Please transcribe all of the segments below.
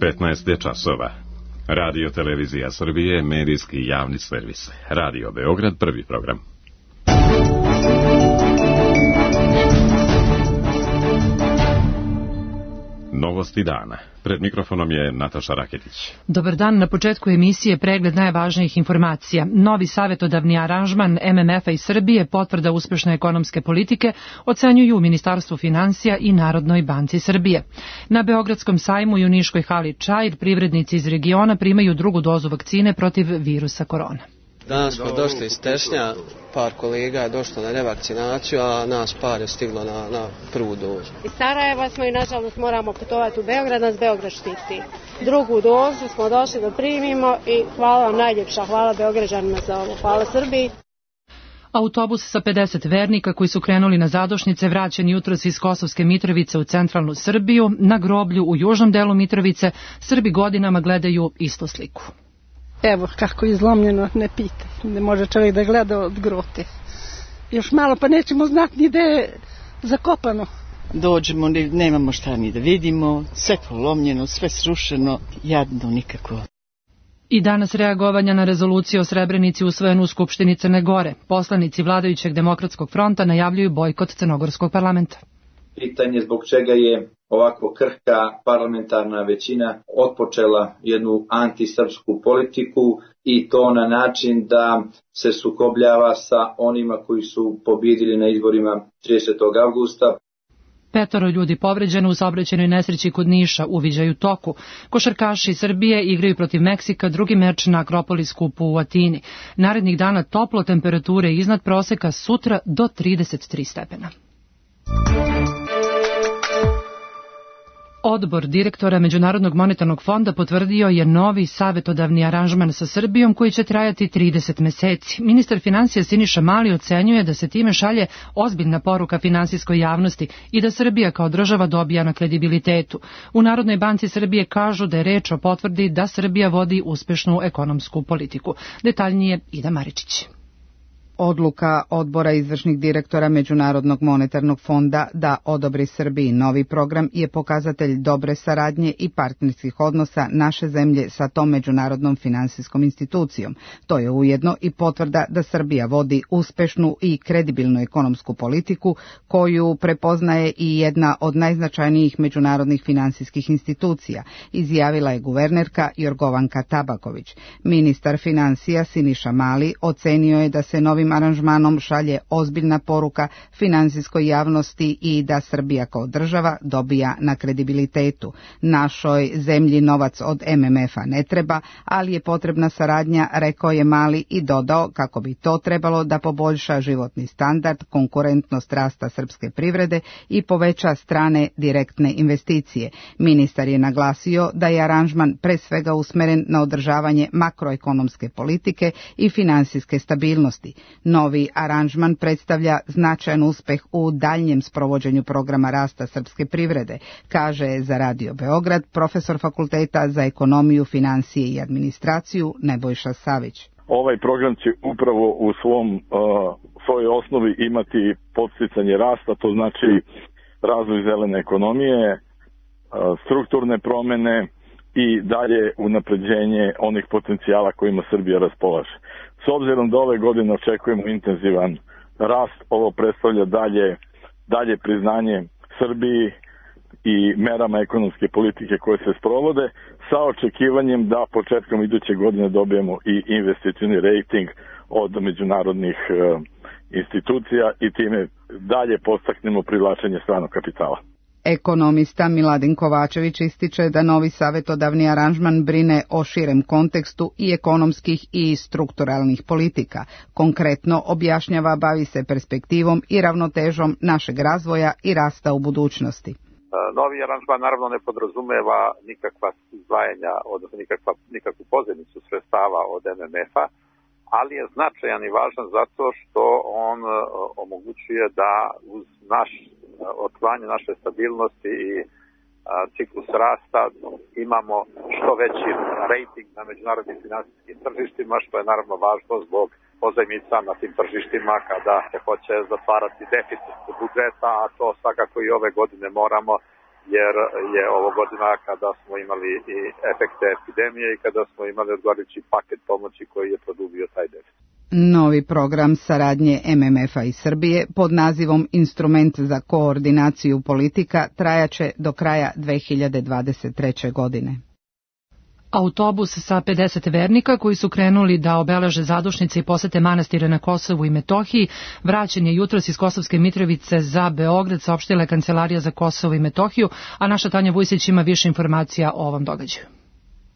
15 je časova. Radio Televizija Srbije, medijski javni servis. Radio Beograd, prvi program. Novosti dana. Pred mikrofonom je Nataša Raketić. Dobar dan, na početku emisije pregled najvažnijih informacija. Novi savjetodavni aranžman MMF-a i Srbije, potvrda uspešne ekonomske politike, ocenjuju u Ministarstvu finansija i Narodnoj banci Srbije. Na Beogradskom sajmu i u Niškoj hali Čair privrednici iz regiona primaju drugu dozu vakcine protiv virusa korona. Danas smo došli iz Tešnja, par kolega je došlo na revakcinaciju, a nas par je stiglo na prvu dozu. Iz Sarajeva smo i nažalost moramo putovati u Beograd, nas Beograd štiti. Drugu dozu smo došli da primimo i hvala vam najljepša, hvala Beograđanima za ovo, hvala Srbiji. Autobus sa 50 vernika koji su krenuli na zadošnice vraćen jutros iz Kosovske Mitrovice u centralnu Srbiju, na groblju u južnom delu Mitrovice, Srbi godinama gledaju istu sliku. Evo kako je izlomljeno, ne pita. Ne može čovjek da gleda od grote. Još malo pa nećemo znati ni da je zakopano. Dođemo, nemamo šta ni da vidimo, sve polomljeno, sve srušeno, jadno nikako. I danas reagovanja na rezoluciju o Srebrenici usvojenu u Skupštini Crne Gore. Poslanici vladajućeg Demokratskog fronta najavljuju bojkot Crnogorskog parlamenta. Pitanje zbog čega je ovako krhka parlamentarna većina otpočela jednu antisrpsku politiku i to na način da se sukobljava sa onima koji su pobjedili na izborima 30. avgusta. 5 ljudi povređeno u saobraćajnoj nesreći kod Niša, uviđaju toku. Košarkaši Srbije igraju protiv Meksika, drugi meč na Akropolis kupu u Atini. Narednih dana toplo, temperature iznad proseka, sutra do 33 stepena. Odbor direktora Međunarodnog monetarnog fonda potvrdio je novi savjetodavni aranžman sa Srbijom koji će trajati 30 meseci. Ministar finansija Siniša Mali ocenjuje da se time šalje ozbiljna poruka finansijskoj javnosti i da Srbija kao država dobija na kredibilitetu. U Narodnoj banci Srbije kažu da je reč o potvrdi da Srbija vodi uspešnu ekonomsku politiku. Detaljnije Ida Maričić. Odluka odbora izvršnih direktora Međunarodnog monetarnog fonda da odobri Srbiji novi program je pokazatelj dobre saradnje i partnerskih odnosa naše zemlje sa tom međunarodnom finansijskom institucijom. To je ujedno i potvrda da Srbija vodi uspešnu i kredibilnu ekonomsku politiku koju prepoznaje i jedna od najznačajnijih međunarodnih finansijskih institucija, izjavila je guvernerka Jorgovanka Tabaković. Ministar finansija Siniša Mali ocenio je da se novim aranžmanom šalje ozbiljna poruka finansijskoj javnosti i da Srbija kao država dobija na kredibilitetu. Našoj zemlji novac od MMF-a ne treba, ali je potrebna saradnja, rekao je Mali i dodao kako bi to trebalo da poboljša životni standard, konkurentnost rasta srpske privrede i poveća strane direktne investicije. Ministar je naglasio da je aranžman pre svega usmeren na održavanje makroekonomske politike i finansijske stabilnosti. Novi aranžman predstavlja značajan uspeh u daljnjem sprovođenju programa rasta srpske privrede, kaže za Radio Beograd profesor Fakulteta za ekonomiju, financije i administraciju Nebojša Savić. Ovaj program će upravo u svojoj osnovi imati podsticanje rasta, to znači razvoj zelene ekonomije, strukturne promene i dalje unapređenje onih potencijala kojima Srbija raspolaže. S obzirom da ove godine očekujemo intenzivan rast, ovo predstavlja dalje priznanje Srbiji i merama ekonomske politike koje se sprovode, sa očekivanjem da početkom iduće godine dobijemo i investicioni rating od međunarodnih institucija i time dalje podstaknemo privlačenje stranog kapitala. Ekonomista Miladin Kovačević ističe da novi savjetodavni aranžman brine o širem kontekstu i ekonomskih i strukturalnih politika. Konkretno objašnjava, bavi se perspektivom i ravnotežom našeg razvoja i rasta u budućnosti. Novi aranžman naravno ne podrazumeva nikakva izdvajanja, odnosno nikakvu pozajmicu sredstava od MMF-a, ali je značajan i važan zato što on omogućuje da uz očuvanje naše stabilnosti i ciklus rasta imamo što veći rating na međunarodnim finansijskim tržištima, što je naravno važno zbog pozajmica na tim tržištima kada se hoće zatvarati deficit budžeta, a to svakako i ove godine moramo jer je ovo godina kada smo imali i efekte epidemije i kada smo imali odgovarajući paket pomoći koji je produbio taj deficit. Novi program saradnje MMF-a i Srbije pod nazivom Instrument za koordinaciju politika trajaće do kraja 2023. godine. Autobus sa 50 vernika koji su krenuli da obeleže zadušnice i posete manastire na Kosovu i Metohiji vraćen je jutros iz Kosovske Mitrovice za Beograd, saopštila je Kancelarija za Kosovo i Metohiju, a naša Tanja Vujsić ima više informacija o ovom događaju.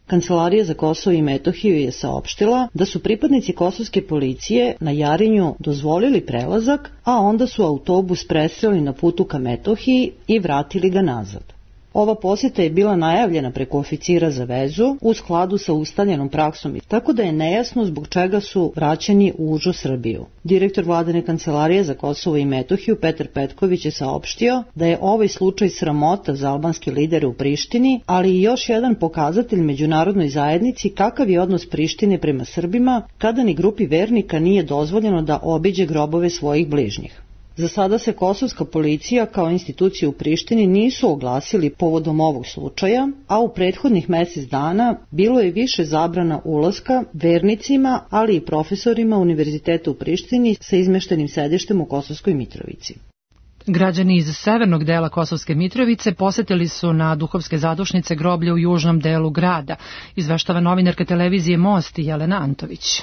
Kancelarija za Kosovo i Metohiju je saopštila da su pripadnici kosovske policije na Jarinju dozvolili prelazak, a onda su autobus presreli na putu ka Metohiji i vratili ga nazad. Ova posjeta je bila najavljena preko oficira za vezu u skladu sa ustaljenom praksom, tako da je nejasno zbog čega su vraćeni u užu Srbiju. Direktor vladine kancelarije za Kosovo i Metohiju Petar Petković je saopštio da je ovaj slučaj sramota za albanske lidere u Prištini, ali i još jedan pokazatelj međunarodnoj zajednici kakav je odnos Prištine prema Srbima kada ni grupi vernika nije dozvoljeno da obiđe grobove svojih bližnjih. Za sada se kosovska policija kao institucija u Prištini nisu oglasili povodom ovog slučaja, a u prethodnih mjesec dana bilo je više zabrana ulaska vernicima, ali i profesorima Univerziteta u Prištini sa izmeštenim sedištem u Kosovskoj Mitrovici. Građani iz severnog dela Kosovske Mitrovice posetili su na duhovske zadušnice groblje u južnom delu grada, izveštava novinarka televizije Most Jelena Antović.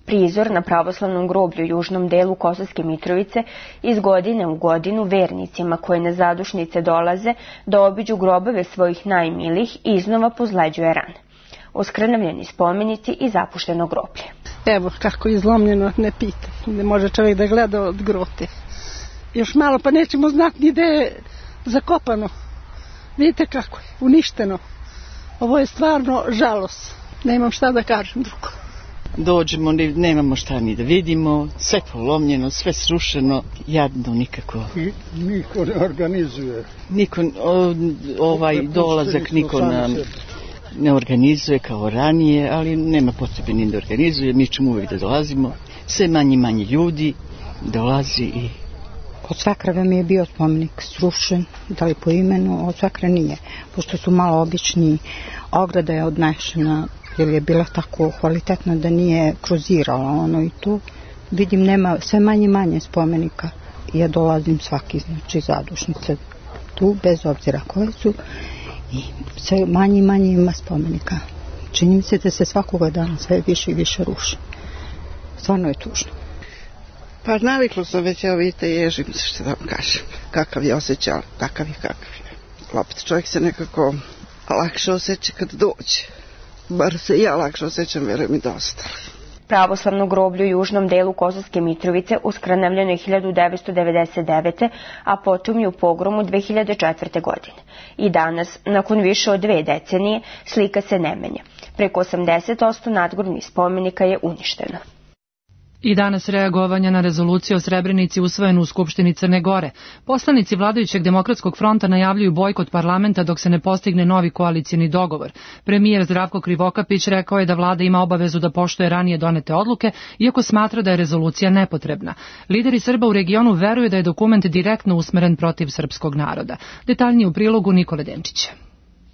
Prizor na pravoslavnom groblju u južnom delu Kosovske Mitrovice iz godine u godinu vernicima koji na zadušnice dolaze da obiđu grobove svojih najmilijih iznova pozleđuje rane. Oskrnavljeni spomenici i zapušteno groblje. Evo kako je izlomljeno, ne pita. Ne može čovjek da gleda od grote. Još malo pa nećemo znati ni gde je zakopano. Vidite kako je, uništeno. Ovo je stvarno žalost. Nemam šta da kažem drugo. Dođemo, nemamo šta ni da vidimo, sve polomljeno, sve srušeno, jadno nikako. Niko ne organizuje. Niko, dolazak niko ne organizuje kao ranije, ali nema potrebe ni da organizuje, mi ćemo uvijek da dolazimo. Sve manje ljudi dolazi i... Od Sakrave mi je bio spomenik srušen, da li po imenu, od Sakra nije, pošto su malo obični, ograda je odnešena, jer je bila tako kvalitetna da nije kruzirala i tu vidim nema sve manje spomenika. Ja dolazim svaki zadušnice tu, bez obzira koje su, i sve manje ima spomenika. Čini mi se da se svakoga dana sve više i više ruši. Stvarno je tužno. Pa naviklo sam već, evo vidite, ježim se, što da vam kažem. Kakav je osjećaj, kakav je. Opet čovjek se nekako lakše osjeća kad dođe. Bar se ja lakše osjećam, vjerujem i da ostali. Pravoslavno groblje u južnom delu Kosovske Mitrovice uskrnavljeno je 1999. a potom je u pogromu 2004. godine. I danas, nakon više od 2 decenije, slika se ne menja. Preko 80% nadgrobnih spomenika je uništeno. I danas reagovanja na rezoluciju o Srebrenici usvojenu u Skupštini Crne Gore. Poslanici vladajućeg Demokratskog fronta najavljuju bojkot parlamenta dok se ne postigne novi koalicijni dogovor. Premijer Zdravko Krivokapić rekao je da vlada ima obavezu da poštuje ranije donete odluke, iako smatra da je rezolucija nepotrebna. Lideri Srba u regionu veruju da je dokument direktno usmeren protiv srpskog naroda. Detaljnije u prilogu Nikole Denčića.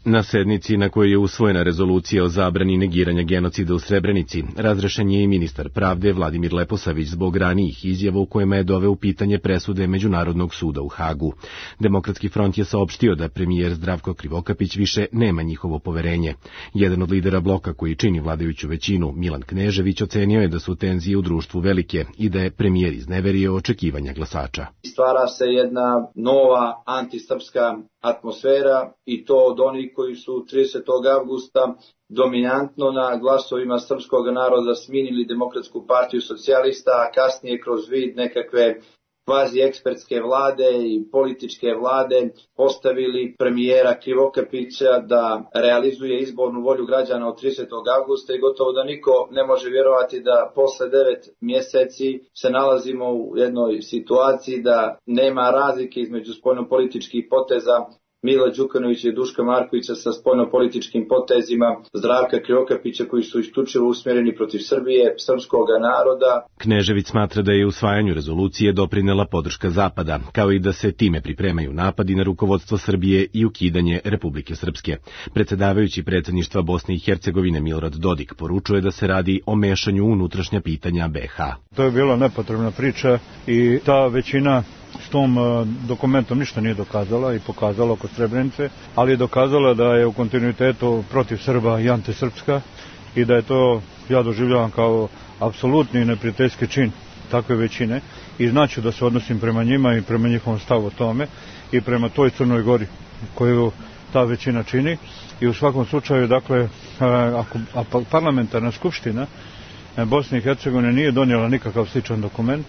Na sednici na kojoj je usvojena rezolucija o zabrani negiranja genocida u Srebrenici, razrešen je i ministar pravde Vladimir Leposavić zbog ranijih izjava u kojima je doveo u pitanje presude Međunarodnog suda u Hagu. Demokratski front je saopštio da premijer Zdravko Krivokapić više nema njihovo poverenje. Jedan od lidera bloka koji čini vladajuću većinu, Milan Knežević, ocenio je da su tenzije u društvu velike i da je premijer izneverio očekivanja glasača. Stvara se jedna nova antisrpska atmosfera i to od onih koji su 30. avgusta dominantno na glasovima srpskog naroda sminili Demokratsku partiju socijalista, a kasnije kroz vid nekakve kvazi ekspertske vlade i političke vlade postavili premijera Krivokapića da realizuje izbornu volju građana od 30. avgusta i gotovo da niko ne može vjerovati da posle 9 mjeseci se nalazimo u jednoj situaciji da nema razlike između spoljnopolitičkih poteza Mila Đukanovića i Duška Markovića sa spoljnopolitičkim potezima, Zdravka Krivokapića koji su isključivo usmjereni protiv Srbije, srpskog naroda. Knežević smatra da je usvajanju rezolucije doprinela podrška Zapada, kao i da se time pripremaju napadi na rukovodstvo Srbije i ukidanje Republike Srpske. Predsjedavajući predsjedništva Bosne i Hercegovine Milorad Dodik poručuje da se radi o mešanju u unutrašnja pitanja BiH. To je bila nepotrebna priča i ta većina s tom dokumentom ništa nije dokazala i pokazala kod Srebrenice, ali je dokazala da je u kontinuitetu protiv Srba i antisrpska i da je to, ja doživljavam kao apsolutni neprijateljski čin takve većine i znači da se odnosim prema njima i prema njihovom stavu o tome i prema toj Crnoj Gori koju ta većina čini. I u svakom slučaju, dakle, ako parlamentarna skupština Bosne i Hercegovine nije donijela nikakav sličan dokument,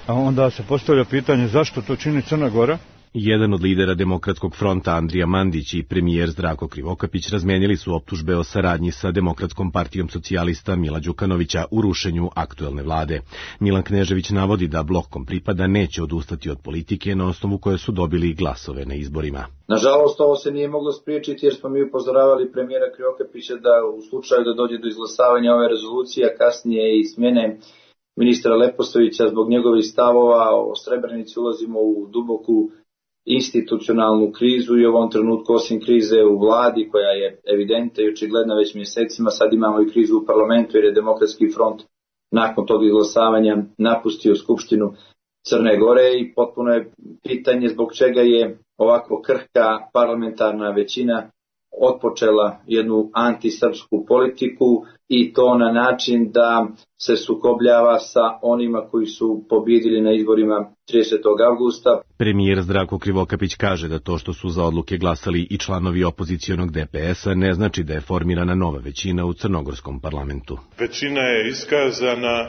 onda se postavlja pitanje zašto to čini Crna Gora. Jedan od lidera Demokratskog fronta Andrija Mandić i premijer Zdravko Krivokapić razmenili su optužbe o saradnji sa Demokratskom partijom socijalista Mila Đukanovića u rušenju aktuelne vlade. Milan Knežević navodi da blok kom pripada neće odustati od politike na osnovu koje su dobili glasove na izborima. Nažalost, ovo se nije moglo spriječiti jer smo mi upozoravali premijera Krivokapića da u slučaju da dođe do izglasavanja ove rezolucije, a kasnije i smjene ministra Leposavića zbog njegovih stavova o Srebrenici ulazimo u duboku institucionalnu krizu i u ovom trenutku osim krize u vladi koja je evidentna i očigledna već mjesecima, sad imamo i krizu u parlamentu jer je Demokratski front nakon tog izglasavanja napustio Skupštinu Crne Gore i potpuno je pitanje zbog čega je ovako krhka parlamentarna većina otpočela jednu antisrpsku politiku i to na način da se sukobljava sa onima koji su pobjedili na izborima 30. avgusta. Premijer Zdravko Krivokapić kaže da to što su za odluke glasali i članovi opozicionog DPS-a ne znači da je formirana nova većina u crnogorskom parlamentu. Većina je iskazana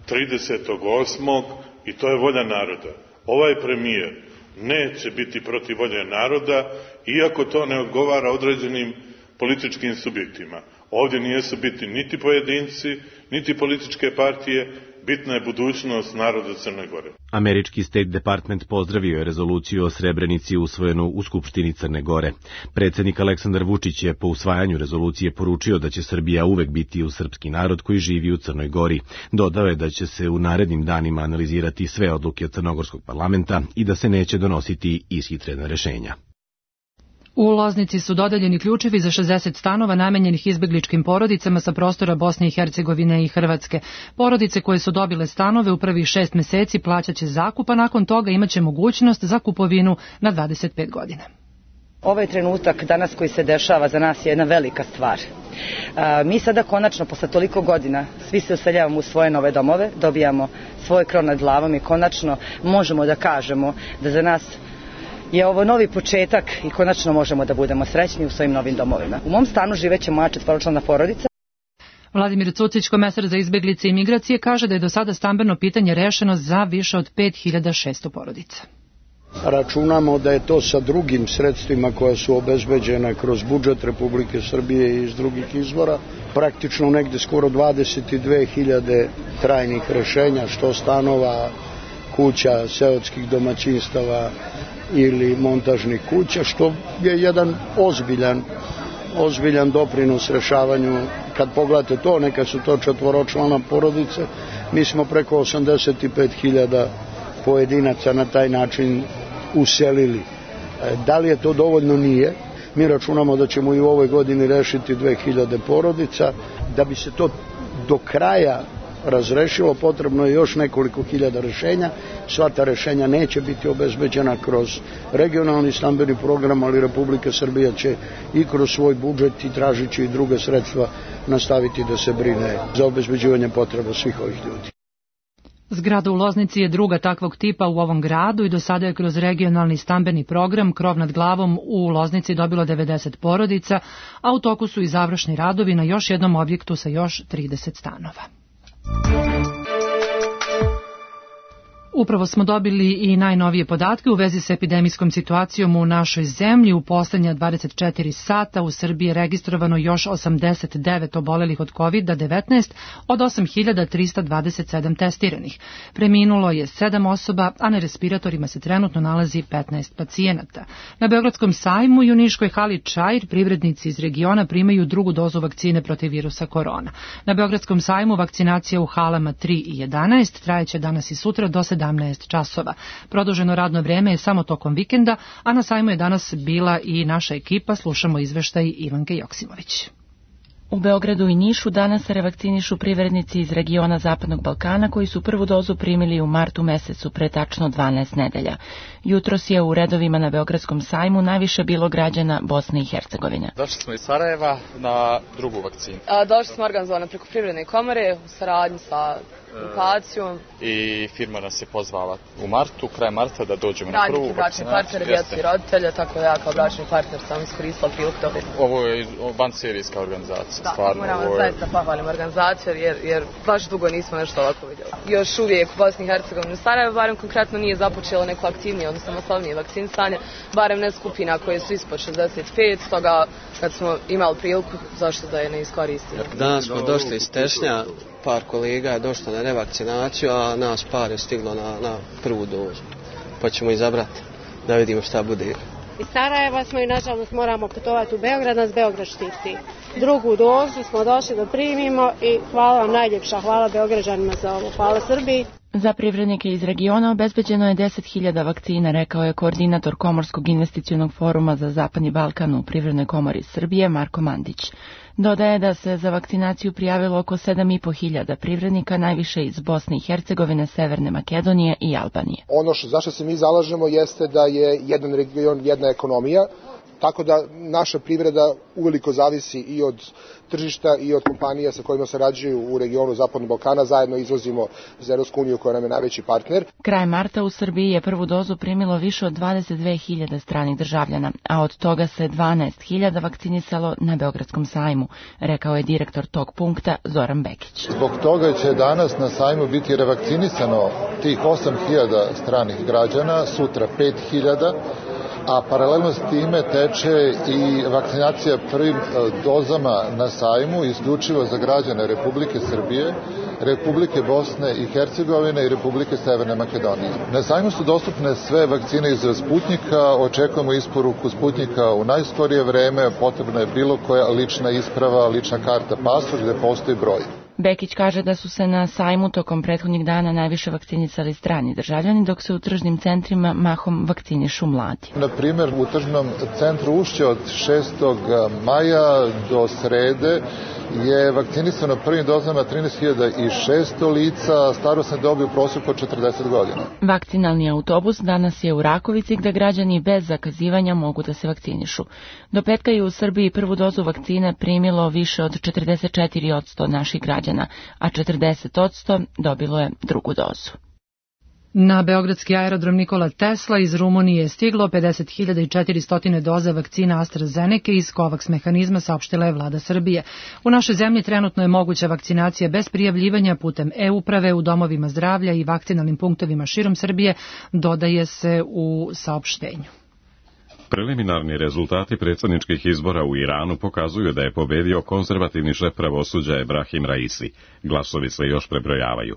30.8. i to je volja naroda. Ovaj premijer neće biti protiv volje naroda, iako to ne odgovara određenim političkim subjektima. Ovdje nisu biti niti pojedinci, niti političke partije, bitna je budućnost naroda Crne Gore. Američki State Department pozdravio je rezoluciju o Srebrenici usvojenu u Skupštini Crne Gore. Predsjednik Aleksandar Vučić je po usvajanju rezolucije poručio da će Srbija uvek biti uz srpski narod koji živi u Crnoj Gori. Dodao je da će se u narednim danima analizirati sve odluke Crnogorskog parlamenta i da se neće donositi ishitrena rešenja. U Loznici su dodeljeni ključevi za 60 stanova namenjenih izbegličkim porodicama sa prostora Bosne i Hercegovine i Hrvatske. Porodice koje su dobile stanove u prvih 6 meseci plaćaće zakup, a nakon toga imaće mogućnost za kupovinu na 25 godina. Ovaj trenutak danas koji se dešava za nas je jedna velika stvar. Mi sada konačno, posle toliko godina, svi se useljavamo u svoje nove domove, dobijamo svoj krov nad glavom i konačno možemo da kažemo da za nas je ovo novi početak i konačno možemo da budemo srećni u svojim novim domovima. U mom stanu živeće moja 4-člana porodica. Vladimir Cucić, komesar za izbeglice i migracije, kaže da je do sada stambeno pitanje rešeno za više od 5600 porodica. Računamo da je to sa drugim sredstvima koja su obezbeđena kroz budžet Republike Srbije i iz drugih izvora, praktično negde skoro 22.000 trajnih rešenja, što stanova, kuća, seoskih domaćinstava ili montažnih kuća, što je jedan ozbiljan doprinos rešavanju. Kad pogledate to, neka su to 4-člana porodice, mi smo preko 85.000 pojedinaca na taj način uselili. Da li je to dovoljno? Nije. Mi računamo da ćemo i u ovoj godini rešiti 2000 porodica. Da bi se to do kraja razrešilo, potrebno je još nekoliko hiljada rešenja. Sva ta rešenja neće biti obezbeđena kroz regionalni stambeni program, ali Republika Srbija će i kroz svoj budžet i tražići i druge sredstva nastaviti da se brine za obezbeđivanje potreba svih ovih ljudi. Zgrada u Loznici je druga takvog tipa u ovom gradu i do sada je kroz regionalni stambeni program Krov nad glavom u Loznici dobilo 90 porodica, a u toku su i završni radovi na još jednom objektu sa još 30 stanova. Upravo smo dobili i najnovije podatke u vezi sa epidemijskom situacijom u našoj zemlji. U poslednja 24 sata u Srbiji je registrovano još 89 obolelih od COVID-19 od 8.327 testiranih. Preminulo je 7 osoba, a na respiratorima se trenutno nalazi 15 pacijenata. Na Beogradskom sajmu i u Niškoj hali Čair privrednici iz regiona primaju drugu dozu vakcine protiv virusa korona. Na Beogradskom sajmu vakcinacija u halama 3 i 11 trajeće danas i sutra do 17 časova. Produženo radno vreme je samo tokom vikenda, a na sajmu je danas bila i naša ekipa. Slušamo izveštaj Ivanke Joksimović. U Beogradu i Nišu danas se revakcinišu privrednici iz regiona Zapadnog Balkana koji su prvu dozu primili u martu mesecu pre tačno 12 nedelja. Jutros je u redovima na Beogradskom sajmu najviše bilo građana Bosne i Hercegovine. Došli smo iz Sarajeva na drugu vakcinu. Došli smo organizovano preko Privredne komore u saradnji sa lokacijom. I firma nas je pozvala u martu, kraj marta da dođemo na prvu vakcinaciju. Bračni partner, djeca i roditelja, tako da ja kao bračni partner sam iskoristila priliku toga. Ovo je vanserijska organizacija. Da, stvarno, moramo zaista pohvalim organizaciju jer baš dugo nismo nešto ovako vidjeli. Još uvijek u Bosni i Hercegovini u Sarajevu barem konkretno nije započelo neko aktivnije, odnosno masovnije vakcinisanje, barem ne skupina koje su ispod 65, stoga kad smo imali priliku, zašto da je ne iskoristimo. Danas smo došli iz Tešnja, par kolega je došlo na revakcinaciju, a nas par je stiglo na prvu dozu. Pa ćemo izabrati da vidimo šta bude. Iz Sarajeva smo i nažalost moramo putovati u Beograd, nas Beograd štiti. Drugu dozu smo došli da primimo i hvala vam najljepša, hvala Beograđanima za ovo, hvala Srbiji. Za privrednike iz regiona obezbeđeno je 10.000 vakcina, rekao je koordinator Komorskog investicionog foruma za Zapadni Balkan u Privrednoj komori Srbije, Marko Mandić. Dodaje da se za vakcinaciju prijavilo oko 7.500 privrednika, najviše iz Bosne i Hercegovine, Severne Makedonije i Albanije. Ono zašto se mi zalažemo jeste da je jedan region, jedna ekonomija, tako da naša privreda uveliko zavisi i od tržišta i od kompanija sa kojima sarađuju u regionu Zapadnog Balkana. Zajedno izvozimo za Evropsku uniju koja nam je najveći partner. Kraj marta u Srbiji je prvu dozu primilo više od 22.000 stranih državljana, a od toga se 12.000 vakcinisalo na Beogradskom sajmu, rekao je direktor tog punkta Zoran Bekić. Zbog toga će danas na sajmu biti revakcinisano tih 8.000 stranih građana, sutra 5.000, a paralelno s time teče i vakcinacija prvim dozama na sajmu isključivo za građane Republike Srbije, Republike Bosne i Hercegovine i Republike Severne Makedonije. Na sajmu su dostupne sve vakcine iz Sputnjika, očekujemo isporuku Sputnjika u najskorije vreme, potrebna je bilo koja lična isprava, lična karta, pasoš gde postoji broj. Bekić kaže da su se na sajmu tokom prethodnih dana najviše vakcinisali strani državljani, dok se u tržnim centrima mahom vakcinišu mladi. Na primjer, u tržnom centru Ušće od 6. maja do srede je vakcinisano prvim dozama 13.600 lica, starosne dobi u prosjeku od 40 godina. Vakcinalni autobus danas je u Rakovici gde građani bez zakazivanja mogu da se vakcinišu. Do petka je u Srbiji prvu dozu vakcine primilo više od 44% naših građana, a 40% dobilo je drugu dozu. Na beogradski aerodrom Nikola Tesla iz Rumunije je stiglo 50.400 doza vakcina AstraZeneca iz COVAX mehanizma, saopštila je vlada Srbije. U našoj zemlji trenutno je moguća vakcinacija bez prijavljivanja putem e-uprave u domovima zdravlja i vakcinalnim punktovima širom Srbije, dodaje se u saopštenju. Preliminarni rezultati predsjedničkih izbora u Iranu pokazuju da je pobedio konzervativni šef pravosuđa Ebrahim Raisi. Glasovi se još prebrojavaju.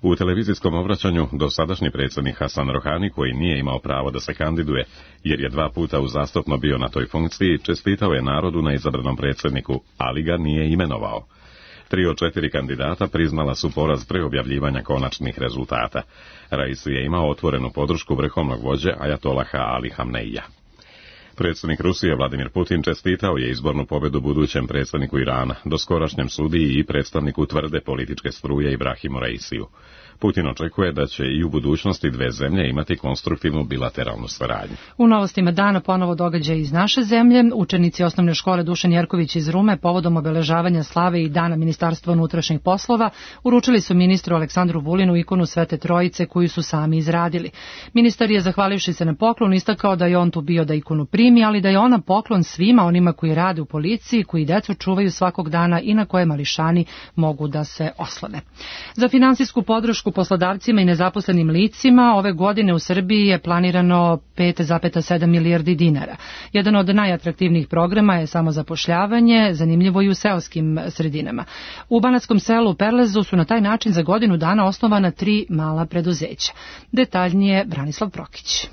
U televizijskom obraćanju dosadašnji predsjednik Hasan Rohani, koji nije imao pravo da se kandiduje, jer je 2 puta uzastopno bio na toj funkciji, čestitao je narodu na izabranom predsjedniku, ali ga nije imenovao. 3 od 4 kandidata priznala su poraz pre objavljivanja konačnih rezultata. Raisi je imao otvorenu podršku vrhovnog vođe Ajatolaha Ali Hamneija. Predsjednik Rusije Vladimir Putin čestitao je izbornu pobedu budućem predsjedniku Irana, doskorašnjem sudiji i predstavniku tvrde političke struje Ibrahimu Raisiju. Putin očekuje da će i u budućnosti dve zemlje imati konstruktivnu bilateralnu saradnju. U novostima dana ponovo događaj iz naše zemlje. Učenici osnovne škole Dušan Jerković iz Rume povodom obeležavanja slave i dana Ministarstva unutrašnjih poslova uručili su ministru Aleksandru Vulinu ikonu Svete Trojice koju su sami izradili. Ministar je, zahvalivši se na poklon, istakao da je on tu bio da ikonu primi primi, ali da je ona poklon svima onima koji rade u policiji, koji decu čuvaju svakog dana i na koje mališani mogu da se oslone. Za finansijsku podršku poslodavcima i nezaposlenim licima ove godine u Srbiji je planirano 5,7 milijardi dinara. Jedan od najatraktivnijih programa je samozapošljavanje, zanimljivo i u seoskim sredinama. U Banatskom selu Perlezu su na taj način za godinu dana osnovana 3 mala preduzeća. Detaljnije Branislav Prokić.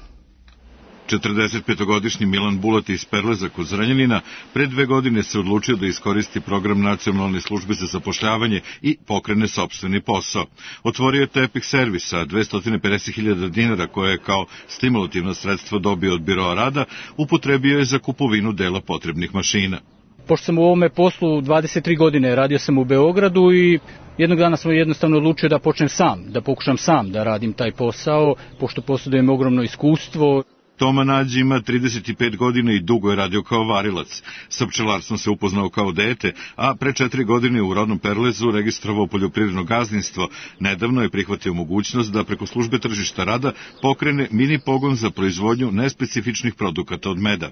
45-godišnji Milan Bulati iz Perleza kod Zrenjanina pre 2 godine se odlučio da iskoristi program Nacionalne službe za zapošljavanje i pokrene sopstveni posao. Otvorio je tepih servis sa 250.000 dinara koje je kao stimulativno sredstvo dobio od Biroa rada, upotrebio je za kupovinu dela potrebnih mašina. Pošto sam u ovome poslu 23 godine, radio sam u Beogradu i jednog dana sam jednostavno odlučio da počnem sam, da pokušam sam da radim taj posao, pošto posjedujem ogromno iskustvo. Toma Nađi ima 35 godina i dugo je radio kao varilac. Sa pčelarstvom se upoznao kao dete, a pre 4 godine u rodnom Perlezu registrovao poljoprivredno gazdinstvo. Nedavno je prihvatio mogućnost da preko službe tržišta rada pokrene mini pogon za proizvodnju nespecifičnih produkata od meda.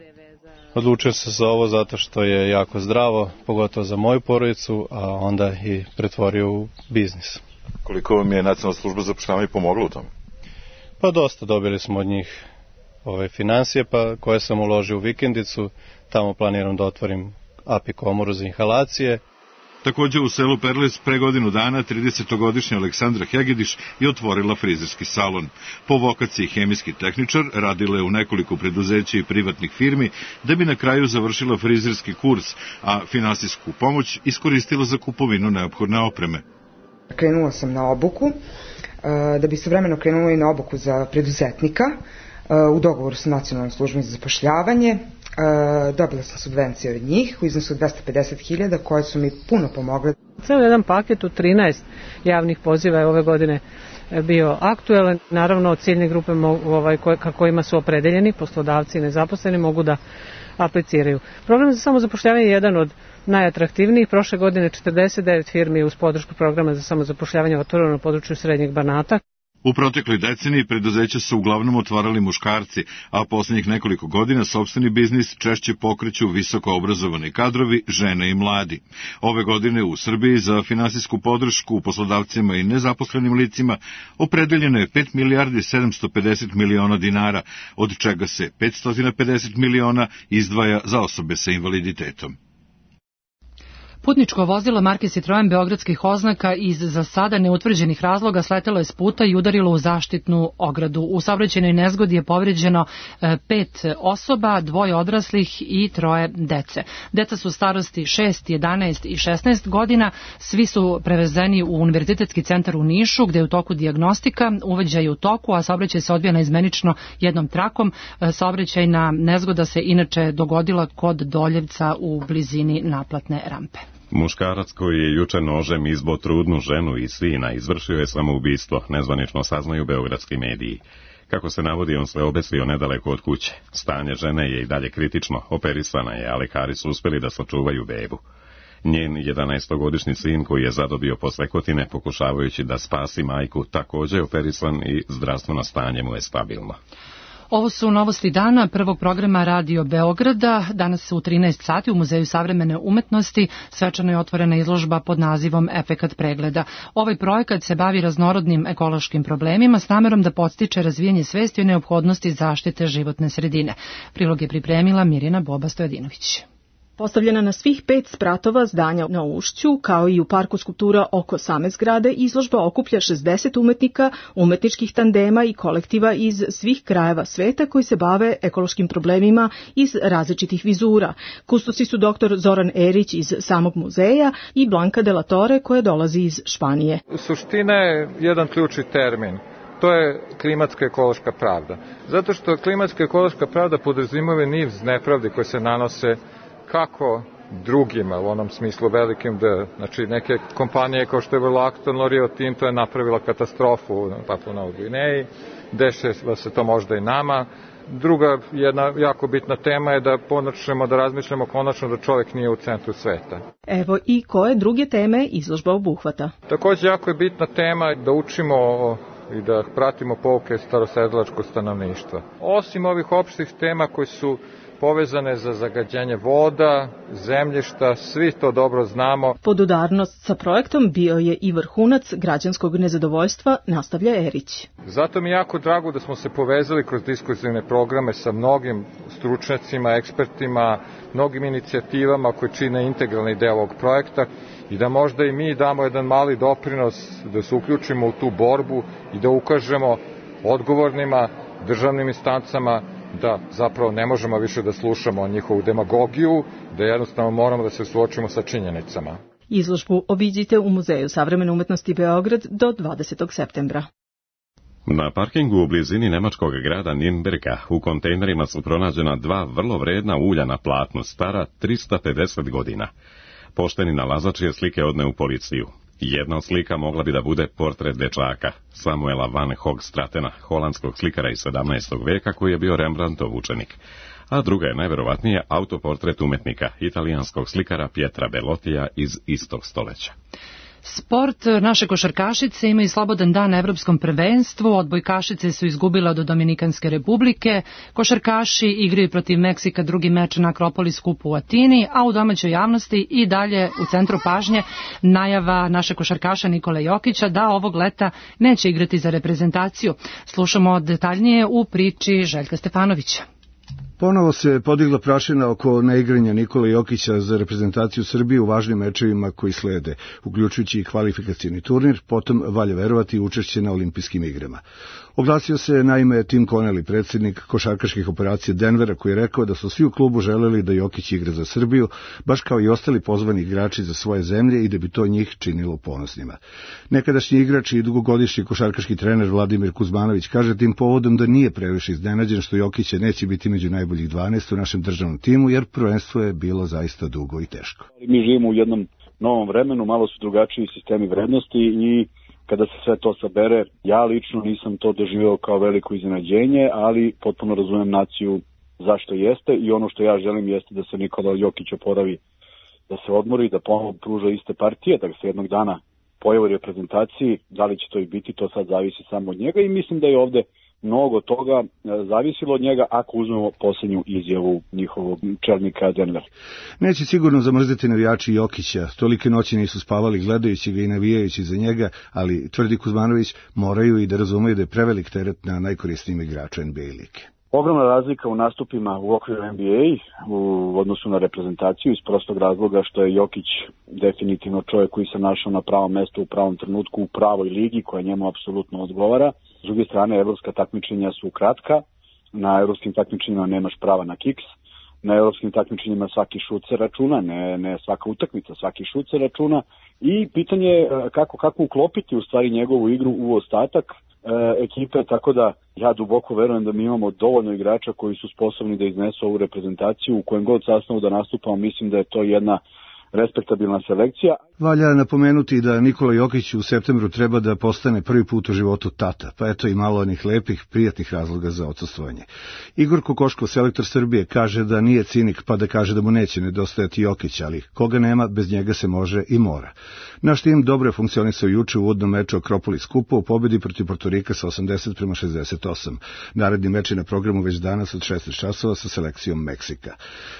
Odlučio sam se za ovo zato što je jako zdravo, pogotovo za moju porodicu, a onda i pretvorio u biznis. Koliko vam je Nacionalna služba za zapošljavanje pomogla u tome? Pa dosta, dobili smo od njih finansije koje sam uložio u vikendicu, tamo planiram da otvorim API komoru za inhalacije. Također u selu Perlez pre godinu dana 30-godišnja Aleksandra Hegediš je otvorila frizerski salon. Po vokaciji hemijski tehničar radila je u nekoliko preduzeća i privatnih firmi da bi na kraju završila frizerski kurs, a finansijsku pomoć iskoristila za kupovinu neophodne opreme. Krenula sam na obuku, da bi istovremeno krenula i na obuku za preduzetnika u dogovoru sa Nacionalnom službom za zapošljavanje. Dobila sam subvencije od njih u iznosu 250.000 koje su mi puno pomogle. Ceo jedan paket od 13 javnih poziva je ove godine bio aktuelan. Naravno, ciljne grupe kojima su opredeljeni, poslodavci i nezaposleni, mogu da apliciraju. Program za samozapošljavanje je jedan od najatraktivnijih. Prošle godine 49 firmi uz podršku programa za samozapošljavanje otvoreno na području Srednjeg Banata. U protekloj deceniji preduzeća su uglavnom otvarali muškarci, a posljednjih nekoliko godina sopstveni biznis češće pokreću visoko obrazovani kadrovi, žene i mladi. Ove godine u Srbiji za finansijsku podršku poslodavcima i nezaposlenim licima opredeljeno je 5 milijardi 750 miliona dinara, od čega se 550 miliona izdvaja za osobe sa invaliditetom. Putničko vozilo marke Citroen beogradskih oznaka iz za sada neutvrđenih razloga sletelo je s puta i udarilo u zaštitnu ogradu. U saobraćajnoj nezgodi je povređeno 5 osoba, 2 odraslih i 3 dece. Deca su starosti 6, 11 i 16 godina. Svi su prevezeni u Univerzitetski centar u Nišu, gde je u toku dijagnostika, uveđaj je u toku, a saobraćaj se odvija naizmenično jednom trakom. Saobraćajna nezgoda se inače dogodila kod Doljevca u blizini naplatne rampe. Muškarac koji je juče nožem izbo trudnu ženu i sina izvršio je samoubistvo, nezvanično saznaju beogradski mediji. Kako se navodi, on se obesio nedaleko od kuće. Stanje žene je i dalje kritično, operisana je, a lekari su uspeli da sačuvaju bebu. Njen 11-godišnji sin koji je zadobio posle pokušavajući da spasi majku, također je operisan i zdravstveno stanje mu je stabilno. Ovo su novosti dana prvog programa Radio Beograda. Danas u 13 sati u Muzeju savremene umetnosti svečano je otvorena izložba pod nazivom Efekat pregleda. Ovaj projekat se bavi raznorodnim ekološkim problemima s namerom da podstiče razvijanje svesti o neophodnosti zaštite životne sredine. Prilog je pripremila Mirjana Boba Stojadinović. Postavljena na svih 5 spratova zdanja na Ušću, kao i u parku skulptura oko same zgrade, izložba okuplja 60 umetnika, umetničkih tandema i kolektiva iz svih krajeva sveta koji se bave ekološkim problemima iz različitih vizura. Kustosi su dr. Zoran Erić iz samog muzeja i Blanka de la Torre koja dolazi iz Španije. Suština je jedan ključni termin. To je klimatska ekološka pravda. Zato što klimatska ekološka pravda podrazumijeva niz nepravdi koje se nanose kako drugima, u onom smislu velikim D. Znači neke kompanije kao što je Acton, Rio Tinto je napravila katastrofu u Papua Novoj Gvineji, dešava se to možda i nama. Druga jedna jako bitna tema je da počnemo da razmišljamo konačno da čovjek nije u centru sveta. Evo i koje druge teme izložba obuhvata. Također jako je bitna tema da učimo i da pratimo pouke starosedilačkog stanovništva. Osim ovih opštih tema koji su povezane za zagađenje voda, zemljišta, svi to dobro znamo. Podudarnost sa projektom bio je i vrhunac građanskog nezadovoljstva, nastavlja Erić. Zato mi je jako drago da smo se povezali kroz diskurzivne programe sa mnogim stručnjacima, ekspertima, mnogim inicijativama koje čine integralni deo ovog projekta i da možda i mi damo jedan mali doprinos, da se uključimo u tu borbu i da ukažemo odgovornima, državnim instancama da zapravo ne možemo više da slušamo njihovu demagogiju, da jednostavno moramo da se suočimo sa činjenicama. Izložbu obiđite u Muzeju savremene umetnosti Beograd do 20. septembra. Na parkingu u blizini nemačkog grada Nürnberga u kontejnerima su pronađena 2 vrlo vredna ulja na platnu, stara 350 godina. Pošteni nalazač je slike odneo u policiju. Jedna od slika mogla bi da bude portret dečaka, Samuela van Hoogstratena, holandskog slikara iz 17. veka koji je bio Rembrandtov učenik. A druga je najverovatnije autoportret umetnika, italijanskog slikara Pietra Bellotija iz istog stoleća. Sport, naše košarkašice imaju slobodan dan na evropskom prvenstvu, odbojkašice su izgubile od Dominikanske republike, košarkaši igraju protiv Meksika drugi meč na Akropolis kupu u Atini, a u domaćoj javnosti i dalje u centru pažnje najava naše košarkaša Nikole Jokića da ovog leta neće igrati za reprezentaciju. Slušamo detaljnije u priči Željka Stefanovića. Ponovo se podigla prašina oko neigranja Nikole Jokića za reprezentaciju Srbije u važnim mečevima koji slede, uključujući i kvalifikacioni turnir, potom valja verovati učešće na olimpijskim igrama. Oglasio se naime Tim Connelly, predsjednik košarkaških operacija Denvera, koji je rekao da su svi u klubu želeli da Jokić igra za Srbiju, baš kao i ostali pozvani igrači za svoje zemlje i da bi to njih činilo ponosnima. Nekadašnji igrač i dugogodišnji košarkaški trener Vladimir Kuzmanović kaže tim povodom da nije previše iznenađen što Jokića neće biti među najboljih 12 u našem državnom timu, jer prvenstvo je bilo zaista dugo i teško. Mi živimo u jednom novom vremenu, malo su drugačiji sistemi vrednosti i kada se sve to sabere, ja lično nisam to doživeo kao veliko iznenađenje, ali potpuno razumem naciju zašto jeste i ono što ja želim jeste da se Nikola Jokić oporavi, da se odmori, da ponovo pruža iste partije, da se jednog dana pojavi u reprezentaciji, da li će to i biti, to sad zavisi samo od njega i mislim da je ovde mnogo toga zavisilo od njega ako uzmemo posljednju izjavu njihovog čelnika Denver. Neće sigurno zamrzeti navijači Jokića, tolike noći nisu spavali gledajući ga i navijajući za njega, ali tvrdi Kuzmanović moraju i da razumeju da je prevelik teret na najkorisnijim igrača NBA lige. Ogromna razlika u nastupima u okviru NBA u odnosu na reprezentaciju iz prostog razloga što je Jokić definitivno čovjek koji se našao na pravom mestu u pravom trenutku u pravoj ligi koja njemu apsolutno odgovara. S druge strane, evropska takmičenja su kratka, na evropskim takmičenjima nemaš prava na kiks, na evropskim takmičenjima svaki šut se računa, ne svaka utakmica, svaki šut se računa i pitanje je kako uklopiti u stvari njegovu igru u ostatak ekipe, tako da ja duboko verujem da mi imamo dovoljno igrača koji su sposobni da iznesu ovu reprezentaciju u kojem god sastavu da nastupamo, mislim da je to jedna respektabilna selekcija. Valja napomenuti da Nikola Jokić u septembru treba da postane prvi put u životu tata, pa eto i malo onih lepih, prijatnih razloga za odsustvovanje. Igor Kokoškov, selektor Srbije, kaže da nije cinik pa da kaže da mu neće nedostajati Jokić, ali koga nema, bez njega se može i mora. Naš tim dobro je funkcionisao juče u uvodnom meču Akropolis kupa u pobedi protiv Portorika sa 80-68. Naredni meč je na programu već danas od 16 časova sa selekcijom Meksika.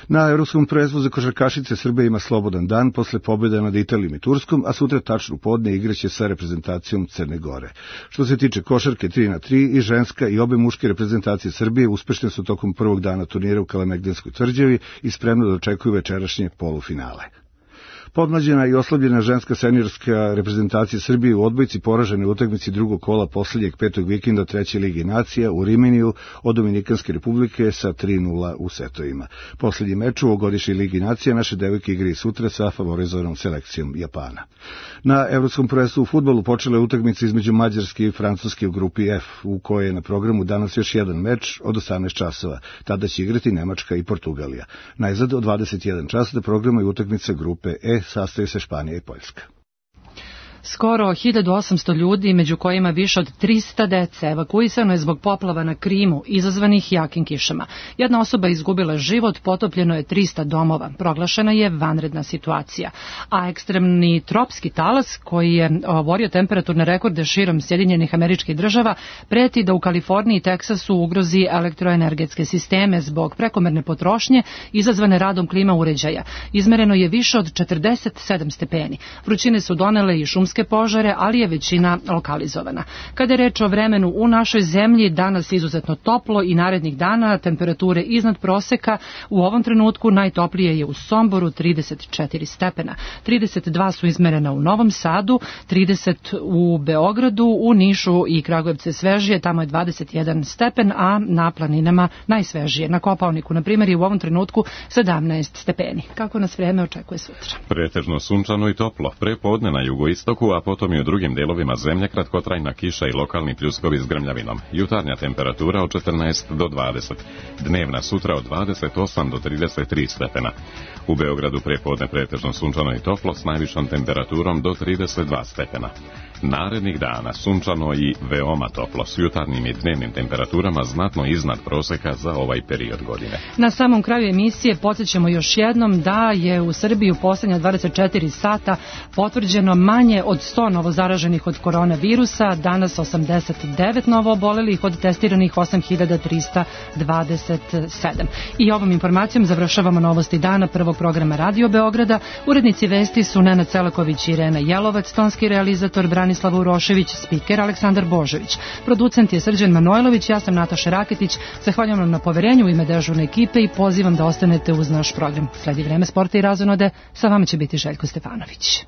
Na evropskom prvenstvu za košarkašice Srbija ima slobodan dan posle pobjede nad Italijom i Turskom, a sutra tačno podne igraće sa reprezentacijom Crne Gore. Što se tiče košarke 3x3 i ženska i obe muške reprezentacije Srbije uspešne su tokom prvog dana turnira u Kalemegdanskoj tvrđavi i spremno da očekuju večerašnje polufinale. Podmlađena i oslabljena ženska seniorska reprezentacija Srbije u odbojci poražene u utakmici drugog kola posljednjeg petog vikenda treće lige nacija u Riminiju od Dominikanske republike sa 3:0 u setovima. Posljednji meč u ovogodišnjoj ligi nacija naše devojke igraju sutra sa favorizovanom selekcijom Japana. Na evropskom prvenstvu u fudbalu počela je utakmica između Mađarske i Francuske u grupi F, u kojoj je na programu danas još jedan meč od 18 časova. Tada će igrati Nemačka i Portugalija. Najzad od 21 časa da programa je utakmica grupe E, sastoji se Španija i Poljska. Skoro 1800 ljudi, među kojima više od 300 dece, evakuisano je zbog poplava na Krimu, izazvanih jakim kišama. Jedna osoba izgubila život, potopljeno je 300 domova. Proglašena je vanredna situacija. A ekstremni tropski talas, koji je oborio temperaturne rekorde širom Sjedinjenih Američkih Država, preti da u Kaliforniji i Teksasu ugrozi elektroenergetske sisteme zbog prekomerne potrošnje izazvane radom klima uređaja. Izmereno je više od 47 stepeni. Vrućine su donele i šumske požare, ali je većina lokalizovana. Kada je reč o vremenu u našoj zemlji, danas izuzetno toplo i narednih dana temperature iznad proseka. U ovom trenutku najtoplije je u Somboru 34 stepena. 32 su izmerena u Novom Sadu, 30 u Beogradu, u Nišu i Kragujevcu svežije, tamo je 21 stepen, a na planinama najsvežije. Na Kopaoniku, na primjer, je u ovom trenutku 17 stepeni. Kako nas vreme očekuje sutra? Pretežno sunčano i toplo. Pre podne na jugoistoku, a potom i u drugim delovima zemlje kratkotrajna kiša i lokalni pljuskovi s grmljavinom. Jutarnja temperatura od 14 do 20. Dnevna sutra od 28 do 33 stepena. U Beogradu pre podne pretežno sunčano i toplo s najvišom temperaturom do 32 stepena. Narednih dana sunčano i veoma toplo s jutarnjim i dnevnim temperaturama znatno iznad proseka za ovaj period godine. Na samom kraju emisije podsjećamo još jednom da je u Srbiji u posljednja 24 sata potvrđeno manje od 100 novozaraženih od koronavirusa, danas 89 novo obolelih, od testiranih 8327. I ovom informacijom završavamo novosti dana prvog programa Radio Beograda. Urednici vesti su Nenad Celaković i Irena Jelovac, tonski realizator Branislav Urošević, spiker Aleksandar Božović. Producent je Srđan Manojlović, ja sam Nataša Raketić. Zahvaljujem vam na poverenju u ime dežurne ekipe i pozivam da ostanete uz naš program. Sledi vreme sporta i razonode, sa vama će biti Željko Stefanović.